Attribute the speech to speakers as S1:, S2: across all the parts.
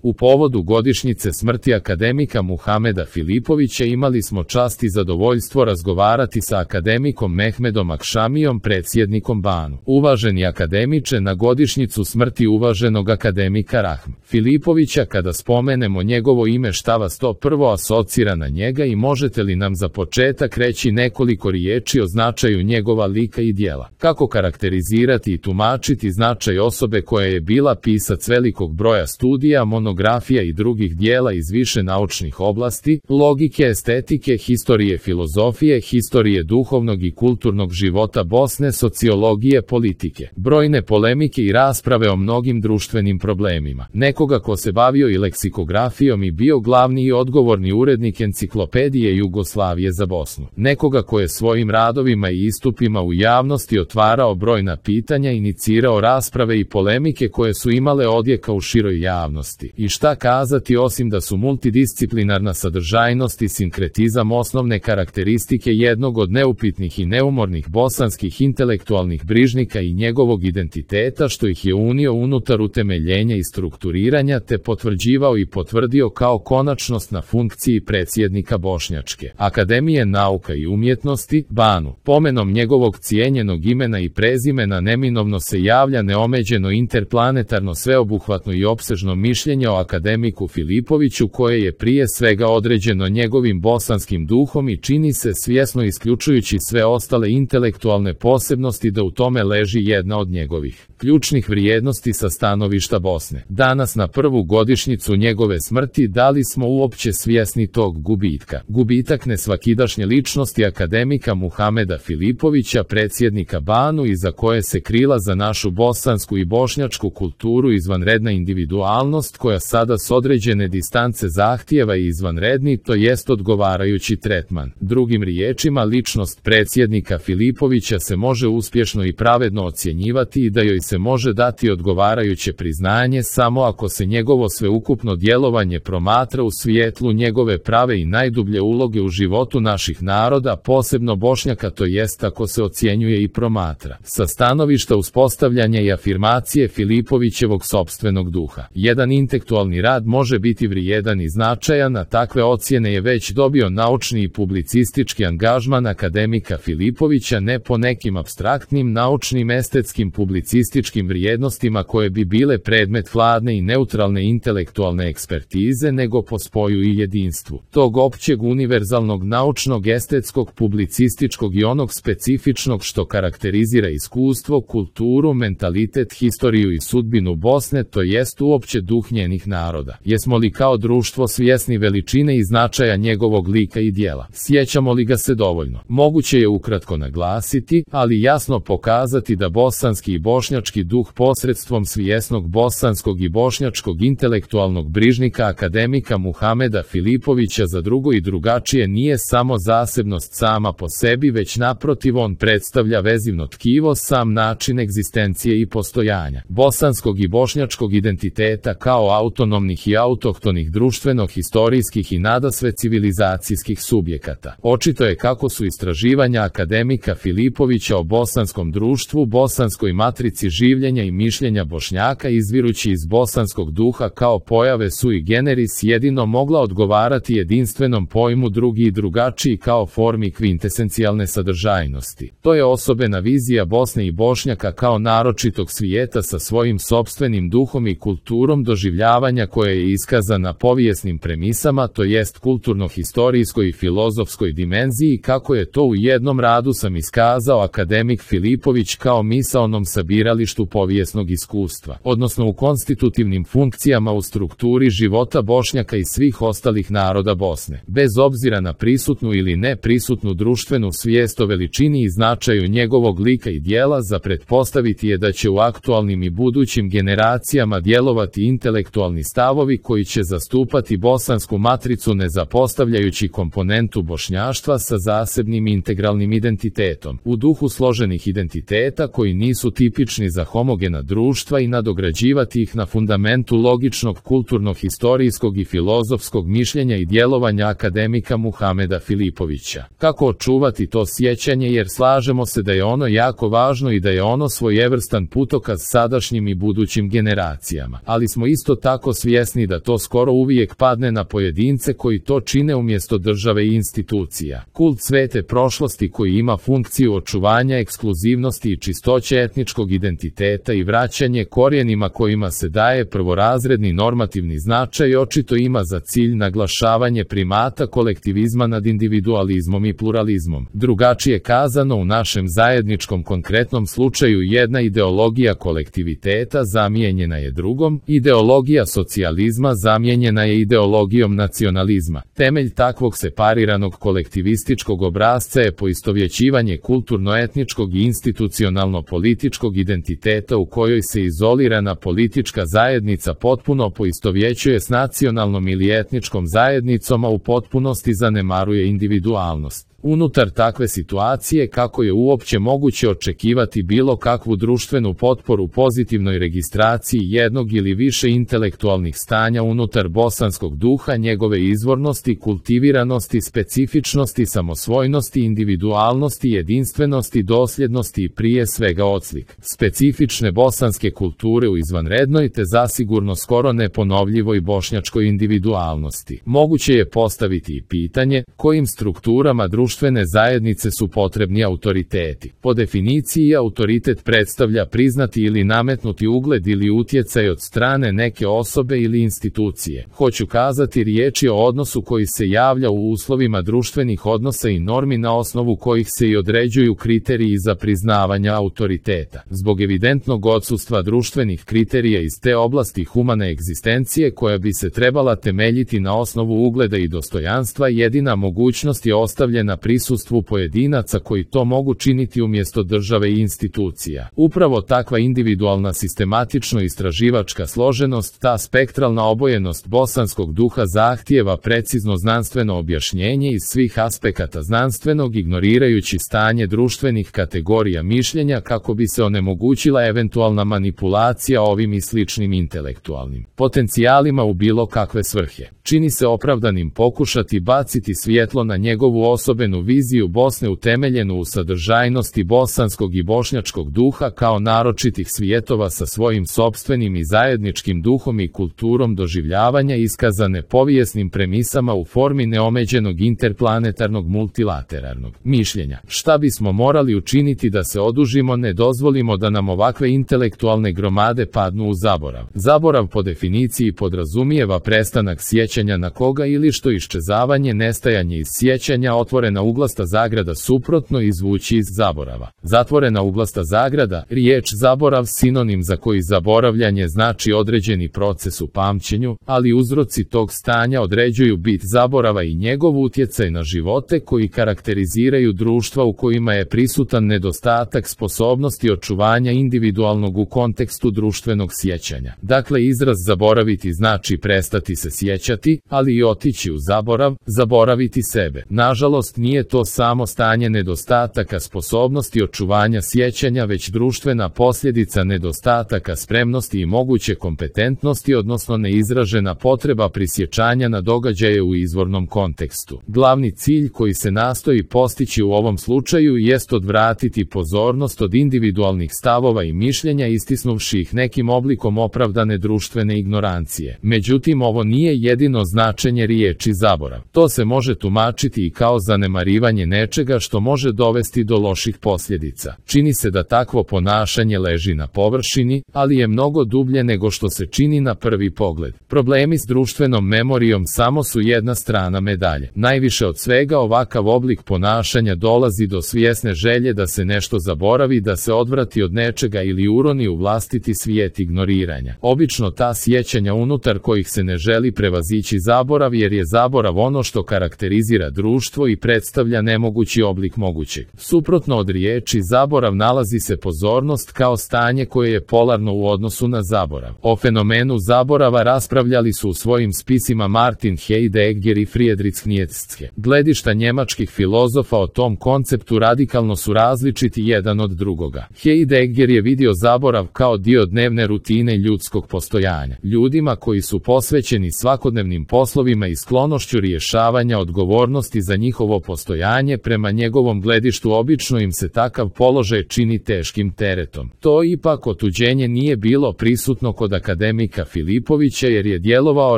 S1: U povodu godišnjice smrti akademika Muhameda Filipovića imali smo čast i zadovoljstvo razgovarati sa akademikom Mehmedom Akšamijom, predsjednikom BANU. Uvaženi akademiče, na godišnjicu smrti uvaženog akademika Rahm Filipovića, kada spomenemo njegovo ime, šta vas to prvo asocira na njega i možete li nam za početak reći nekoliko riječi o značaju njegova lika i djela? Kako karakterizirati i tumačiti značaj osobe koja je bila pisac velikog broja studija, monografija i drugih dijela iz više naučnih oblasti, logike, estetike, historije filozofije, historije duhovnog i kulturnog života Bosne, sociologije, politike, brojne polemike i rasprave o mnogim društvenim problemima. Nekoga ko se bavio i leksikografijom i bio glavni i odgovorni urednik enciklopedije Jugoslavije za Bosnu. Nekoga ko je svojim radovima i istupima u javnosti otvarao brojna pitanja, inicirao rasprave i polemike koje su imale odjeka u široj javnosti. I šta kazati osim da su multidisciplinarna sadržajnost i sinkretizam osnovne karakteristike jednog od neupitnih i neumornih bosanskih intelektualnih brižnika i njegovog identiteta, što ih je unio unutar utemeljenja i strukturiranja te potvrđivao i potvrdio kao konačnost na funkciji predsjednika Bošnjačke Akademije nauka i umjetnosti, BANU. Pomenom njegovog cijenjenog imena i prezimena neminovno se javlja neomeđeno interplanetarno sveobuhvatno i opsežno mišljenje o akademiku Filipoviću, koje je prije svega određeno njegovim bosanskim duhom i čini se svjesno isključujući sve ostale intelektualne posebnosti da u tome leži jedna od njegovih ključnih vrijednosti sa stanovišta Bosne. Danas, na prvu godišnjicu njegove smrti, da li smo uopće svjesni tog gubitka? Gubitak nesvakidašnje ličnosti akademika Muhameda Filipovića, predsjednika BANU, iza koje se krila za našu bosansku i bošnjačku kulturu izvanredna individualnost koja sada s određene distance zahtijeva i izvanredni, to jest odgovarajući tretman. Drugim riječima, ličnost predsjednika Filipovića se može uspješno i pravedno ocjenjivati i da joj se može dati odgovarajuće priznanje samo ako se njegovo sveukupno djelovanje promatra u svijetlu njegove prave i najdublje uloge u životu naših naroda, posebno Bošnjaka, to jest ako se ocjenjuje i promatra sa stanovišta uspostavljanja i afirmacije Filipovićevog sopstvenog duha. Jedan intelektualni rad može biti vrijedan i značajan, a takve ocjene je već dobio naučni i publicistički angažman akademika Filipovića, ne po nekim apstraktnim, naučnim, estetskim, publicističkim vrijednostima koje bi bile predmet hladne i neutralne intelektualne ekspertize, nego po spoju i jedinstvu tog općeg, univerzalnog, naučnog, estetskog, publicističkog i onog specifičnog što karakterizira iskustvo, kulturu, mentalitet, historiju i sudbinu Bosne, to jest uopće duh njenih naroda. Jesmo li kao društvo svjesni veličine i značaja njegovog lika i djela? Sjećamo li ga se dovoljno? Moguće je ukratko naglasiti, ali jasno pokazati da bosanski i bošnjački duh posredstvom svjesnog bosanskog i bošnjačkog intelektualnog brižnika akademika Muhameda Filipovića za drugo i drugačije nije samo zasebnost sama po sebi, već naprotiv on predstavlja vezivno tkivo, sam način egzistencije i postojanja bosanskog i bošnjačkog identiteta kao autonomnih i autohtonih društveno-historijskih i nadasve civilizacijskih subjekata. Očito je kako su istraživanja akademika Filipovića o bosanskom društvu, bosanskoj matrici življenja i mišljenja Bošnjaka izvirući iz bosanskog duha kao pojave sui generis jedino mogla odgovarati jedinstvenom pojmu drugi i drugačiji kao formi kvintesencijalne sadržajnosti. To je osobena vizija Bosne i Bošnjaka kao naročitog svijeta sa svojim sopstvenim duhom i kulturom doživljavanja koja je iskazana povijesnim premisama, to jest kulturno-historijskoj i filozofskoj dimenziji, kako je to u jednom radu sam iskazao akademik Filipović kao misaonom sabiralištu povijesnog iskustva, odnosno u konstitutivnim funkcijama u strukturi života Bošnjaka i svih ostalih naroda Bosne. Bez obzira na prisutnu ili neprisutnu društvenu svijest o veličini i značaju njegovog lika i djela, za pretpostaviti je da će u aktualnim i budućim generacijama djelovati intelektualni stavovi koji će zastupati bosansku matricu ne zapostavljajući komponentu bošnjaštva sa zasebnim integralnim identitetom, u duhu složenih identiteta koji nisu tipični za homogena društva i nadograđivati ih na fundamentu logičnog kulturno-historijskog i filozofskog mišljenja i djelovanja akademika Muhameda Filipovića. Kako očuvati to sjećanje, jer slažemo se da je ono jako važno i da je ono svojevrstan putokaz sadašnjim i budućim generacijama, ali smo isto tako tako svjesni da to skoro uvijek padne na pojedince koji to čine umjesto države i institucija. Kult svete prošlosti koji ima funkciju očuvanja ekskluzivnosti i čistoće etničkog identiteta i vraćanje korijenima kojima se daje prvorazredni normativni značaj očito ima za cilj naglašavanje primata kolektivizma nad individualizmom i pluralizmom. Drugačije kazano, u našem zajedničkom konkretnom slučaju jedna ideologija kolektiviteta zamijenjena je drugom, ideologija socijalizma zamijenjena je ideologijom nacionalizma. Temelj takvog separiranog kolektivističkog obrasca je poistovjećivanje kulturno-etničkog i institucionalno-političkog identiteta u kojoj se izolirana politička zajednica potpuno poistovjećuje s nacionalnom ili etničkom zajednicom, a u potpunosti zanemaruje individualnost. Unutar takve situacije, kako je uopće moguće očekivati bilo kakvu društvenu potporu pozitivnoj registraciji jednog ili više intelektualnih stanja unutar bosanskog duha, njegove izvornosti, kultiviranosti, specifičnosti, samosvojnosti, individualnosti, jedinstvenosti, dosljednosti i prije svega odslik specifične bosanske kulture u izvanrednoj te zasigurno skoro neponovljivoj bošnjačkoj individualnosti. Moguće je postaviti i pitanje kojim strukturama društvene zajednice su potrebni autoriteti. Po definiciji, autoritet predstavlja priznati ili nametnuti ugled ili utjecaj od strane neke osobe ili institucije. Hoću kazati, riječ je o odnosu koji se javlja u uslovima društvenih odnosa i normi na osnovu kojih se i određuju kriteriji za priznavanje autoriteta. Zbog evidentnog odsustva društvenih kriterija iz te oblasti humane egzistencije koja bi se trebala temeljiti na osnovu ugleda i dostojanstva, jedina mogućnost je ostavljena prisustvu pojedinaca koji to mogu činiti umjesto države i institucija. Upravo takva individualna sistematično-istraživačka složenost, ta spektralna obojenost bosanskog duha zahtijeva precizno znanstveno objašnjenje iz svih aspekata znanstvenog, ignorirajući stanje društvenih kategorija mišljenja kako bi se onemogućila eventualna manipulacija ovim i sličnim intelektualnim potencijalima u bilo kakve svrhe. Čini se opravdanim pokušati baciti svjetlo na njegovu osobenu viziju Bosne utemeljenu u sadržajnosti bosanskog i bošnjačkog duha kao naročitih svjetova sa svojim sopstvenim i zajedničkim duhom i kulturom doživljavanja iskazane povijesnim premisama u formi neomeđenog interplanetarnog multilateralnog mišljenja. Šta bismo morali učiniti da se odužimo, ne dozvolimo da nam ovakve intelektualne gromade padnu u zaborav. Zaborav po definiciji podrazumijeva prestanak sjećanja na koga ili što iščezavanje, nestajanje iz sjećanja, otvorena uglasta zagrada suprotno izvući iz zaborava. Zatvorena uglasta zagrada, riječ zaborav sinonim za koji zaboravljanje znači određeni proces u pamćenju, ali uzroci tog stanja određuju bit zaborava i njegov utjecaj na živote koji karakteriziraju društva u kojima je prisutan nedostatak sposobnosti očuvanja individualnog u kontekstu društvenog sjećanja. Dakle, izraz zaboraviti znači prestati se sjećati, ali i otići u zaborav, zaboraviti sebe. Nažalost, nije to samo stanje nedostataka sposobnosti očuvanja sjećanja, već društvena posljedica nedostataka spremnosti i moguće kompetentnosti, odnosno neizražena potreba prisjećanja na događaje u izvornom kontekstu. Glavni cilj koji se nastoji postići u ovom slučaju jest odvratiti pozornost od individualnih stavova i mišljenja istisnuvši ih nekim oblikom opravdane društvene ignorancije. Međutim, ovo nije jedino značenje riječi zaborav. To se može tumačiti i kao zanemarivanje nečega što može dovesti do loših posljedica. Čini se da takvo ponašanje leži na površini, ali je mnogo dublje nego što se čini na prvi pogled. Problemi s društvenom memorijom samo su jedna strana medalje. Najviše od svega ovakav oblik ponašanja dolazi do svjesne želje da se nešto zaboravi, da se odvrati od nečega ili uroni u vlastiti svijet ignoriranja. Obično ta sjećanja unutar kojih se ne želi prevazići zaborav, jer je zaborav ono što karakterizira društvo i predstavlja nemogući oblik mogućeg. Suprotno od riječi zaborav nalazi se pozornost kao stanje koje je polarno u odnosu na zaborav. O fenomenu zaborava raspravljali su u svojim spisima Martin Heidegger i Friedrich Nietzsche. Gledišta njemačkih filozofa o tom konceptu radikalno su različiti jedan od drugoga. Heidegger je vidio zaborav kao dio dnevne rutine ljudskog postojanja. Ljudima koji su posvećeni svakodnevnim poslovima i sklonošću rješavanja odgovornosti za njihovo postojanje prema njegovom gledištu obično im se takav položaj čini teškim teretom. To ipak otuđenje nije bilo prisutno kod akademika Filipovića jer je djelovao,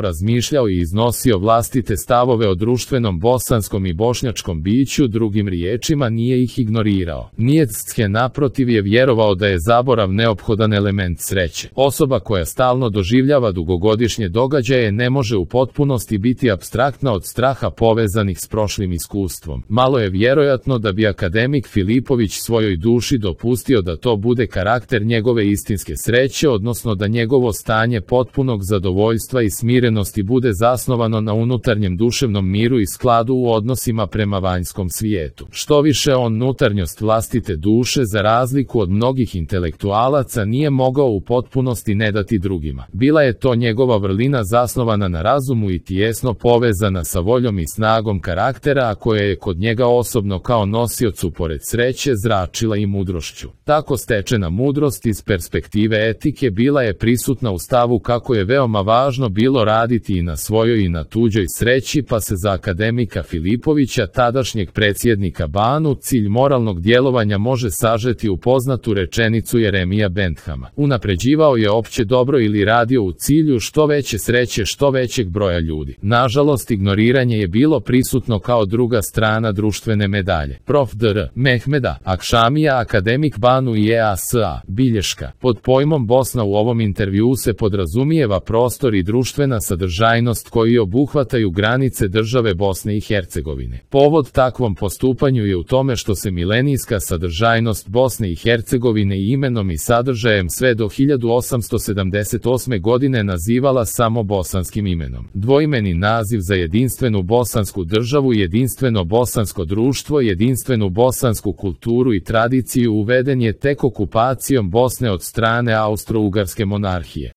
S1: razmišljao i iznosio vlastite stavove o društvenom bosanskom i bošnjačkom biću, drugim riječima nije ih ignorirao. Nietzsche naprotiv je vjerovao da je zaborav neophodan element sreće. Osoba koja stalno doživljava dugogodišnje događaje ne može u potpunosti biti apstraktna od straha povezanih s prošlim iskustvom. Malo je vjerojatno da bi akademik Filipović svojoj duši dopustio da to bude karakter njegove istinske sreće, odnosno da njegovo stanje potpunog zadovoljstva i smirenosti bude zasnovano na unutarnjem duševnom miru i skladu u odnosima prema vanjskom svijetu. Što više, on unutarnjost vlastite duše, za razliku od mnogih intelektualaca, nije mogao u potpunosti ne dati drugima. Bila je to njegova vrlina zasnovana na razumu i tijesno povezana sa voljom i snagom karaktera, a koja je kod njega osobno kao nosiocu pored sreće zračila i mudrošću. Tako stečena mudrost iz perspektive etike bila je prisutna u stavu kako je veoma važno bilo raditi i na svojoj i na tuđoj sreći, pa se za akademika Filipovića, tadašnjeg predsjednika BaNu, cilj moralnog djelovanja može sažeti u poznatu rečenicu Jeremija Benthama. Unapređivao je opće dobro ili radio u cilju što veće sreće što većeg broja ljudi. Nažalost, ignoriranje je bilo prisutno kao druga strana društvene medalje. Prof. dr. Mehmeda Akšamija, akademik BaNu i EASA, bilješka. Pod pojmom Bosna u ovom intervjuu se podrazumijeva prostor i društvena sadržajnost koji obuhvataju granice države Bosne i Hercegovine. Povod takvom postupanju je u tome što se milenijska sadržajnost Bosne i Hercegovine i imenom i sadržajem sve do 1878. godine nazivala samo bosanskim imenom. Dvoimeni naziv za jedinstvenu bosansku državu, jedinstveno bosansko društvo, jedinstvenu bosansku kulturu i tradiciju uveden je tek okupacijom Bosne od strane Austro-Ugarske monarhije.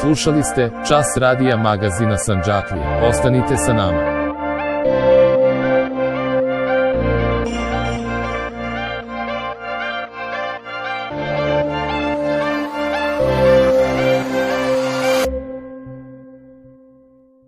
S1: Slušali ste Čas radija magazina Sandžaklija. Ostanite sa nama.